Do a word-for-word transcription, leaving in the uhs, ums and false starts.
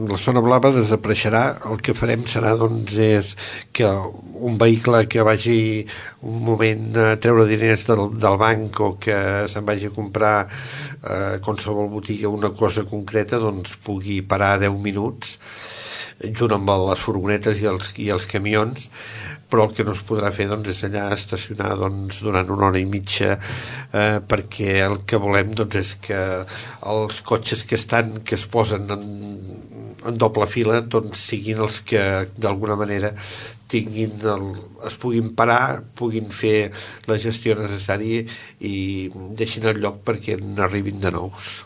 la zona blava desapareixerà. El que farem serà, doncs, és que un vehicle que vagi un moment a treure diners del, del banc o que se'n vagi a comprar eh, qualsevol botiga una cosa concreta, doncs pugui parar deu minuts junt amb les furgonetes i els, i els camions, però el que no es podrà fer, doncs, és allà estacionar, doncs, durant una hora i mitja, eh, perquè el que volem, doncs, és que els cotxes que estan, que es posen en, en doble fila, doncs siguin els que d'alguna manera tinguin el, es puguin parar, puguin fer la gestió necessària i deixin el lloc perquè n'arribin de nous.